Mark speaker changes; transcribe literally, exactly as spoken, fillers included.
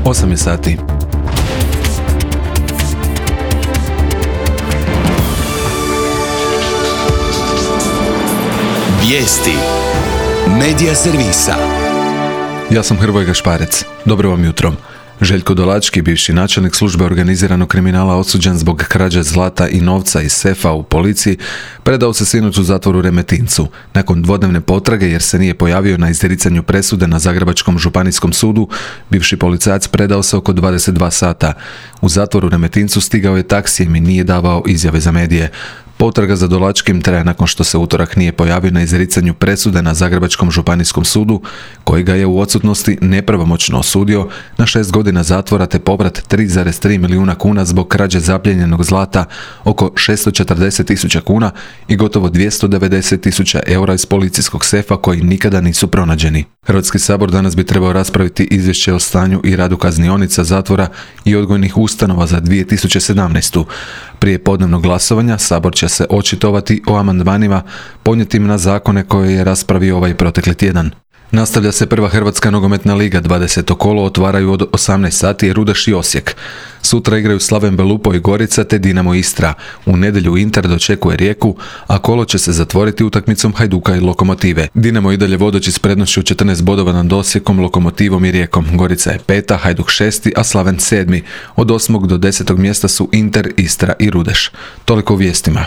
Speaker 1: osam je sati.
Speaker 2: Vijesti Medija servisa.
Speaker 1: Ja sam Hrvoje Gašparec. Dobro vam jutro. Željko Dolački, bivši načelnik službe organiziranog kriminala osuđen zbog krađe zlata i novca iz sefa u policiji, predao se sinoć u zatvoru u Remetincu. Nakon dvodnevne potrage, jer se nije pojavio na izricanju presude na Zagrebačkom županijskom sudu, bivši policajac predao se oko dvadeset dva sata. U zatvoru u Remetincu stigao je taksijem i nije davao izjave za medije. Potraga za Dolačkim traje nakon što se utorak nije pojavio na izricanju presude na Zagrebačkom županijskom sudu, koji ga je u odsutnosti nepravomoćno osudio na šest godina zatvora te povrat tri zarez tri milijuna kuna zbog krađe zaplijenjenog zlata, oko šesto četrdeset tisuća kuna i gotovo dvjesto devedeset tisuća eura iz policijskog sefa koji nikada nisu pronađeni. Hrvatski sabor danas bi trebao raspraviti izvješće o stanju i radu kaznionica, zatvora i odgojnih ustanova za dvije tisuće sedamnaestu. Prije podnevnog glasovanja sabor će se očitovati o amandmanima podnijetim na zakone koje je raspravio ovaj protekli tjedan. Nastavlja se prva Hrvatska nogometna liga, dvadeseto kolo otvaraju od osamnaest sati Rudeš i Osijek. Sutra igraju Slaven Belupo i Gorica te Dinamo Istra. U nedjelju Inter dočekuje Rijeku, a kolo će se zatvoriti utakmicom Hajduka i Lokomotive. Dinamo i dalje vodeći s prednošću četrnaest bodova nad Osijekom, Lokomotivom i Rijekom. Gorica je peta, Hajduk šesti, a Slaven sedmi. Od osmog do desetog mjesta su Inter, Istra i Rudeš. Toliko u vijestima.